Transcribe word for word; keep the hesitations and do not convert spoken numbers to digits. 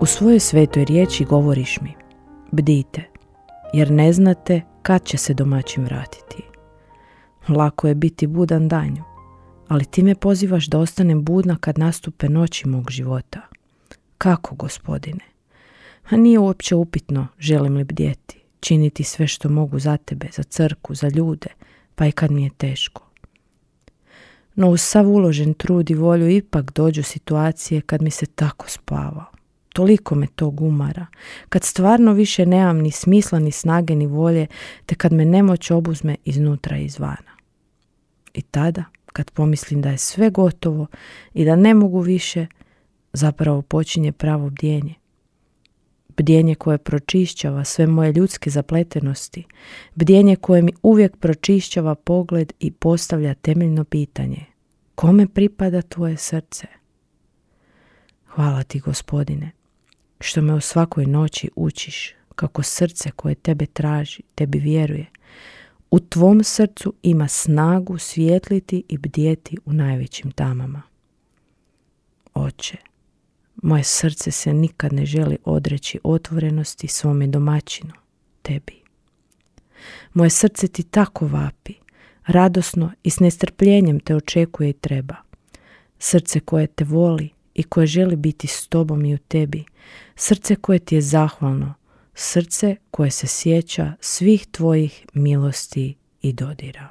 U svojoj svetoj riječi govoriš mi: bdite, jer ne znate kad će se domaćin vratiti. Lako je biti budan danju, ali ti me pozivaš da ostanem budna kad nastupe noći mog života. Kako, Gospodine? A nije uopće upitno želim li bdjeti, činiti sve što mogu za tebe, za crkvu, za ljude, pa i kad mi je teško. No uz sav uložen trud i volju ipak dođu situacije kad mi se tako spava. Toliko me tog umara, kad stvarno više nemam ni smisla, ni snage, ni volje, te kad me nemoć obuzme iznutra i izvana. I tada, kad pomislim da je sve gotovo i da ne mogu više, zapravo počinje pravo bdjenje. Bdjenje koje pročišćava sve moje ljudske zapletenosti, bdjenje koje mi uvijek pročišćava pogled i postavlja temeljno pitanje: kome pripada tvoje srce? Hvala ti, Gospodine, što me u svakoj noći učiš kako srce koje tebe traži, tebi vjeruje, u tvom srcu ima snagu svijetliti i bdjeti u najvećim tamama. Oče, moje srce se nikad ne želi odreći otvorenosti svome domaćinu, tebi. Moje srce ti tako vapi, radosno i s nestrpljenjem te očekuje i treba. Srce koje te voli i koje želi biti s tobom i u tebi. Srce koje ti je zahvalno, srce koje se sjeća svih tvojih milosti i dodira.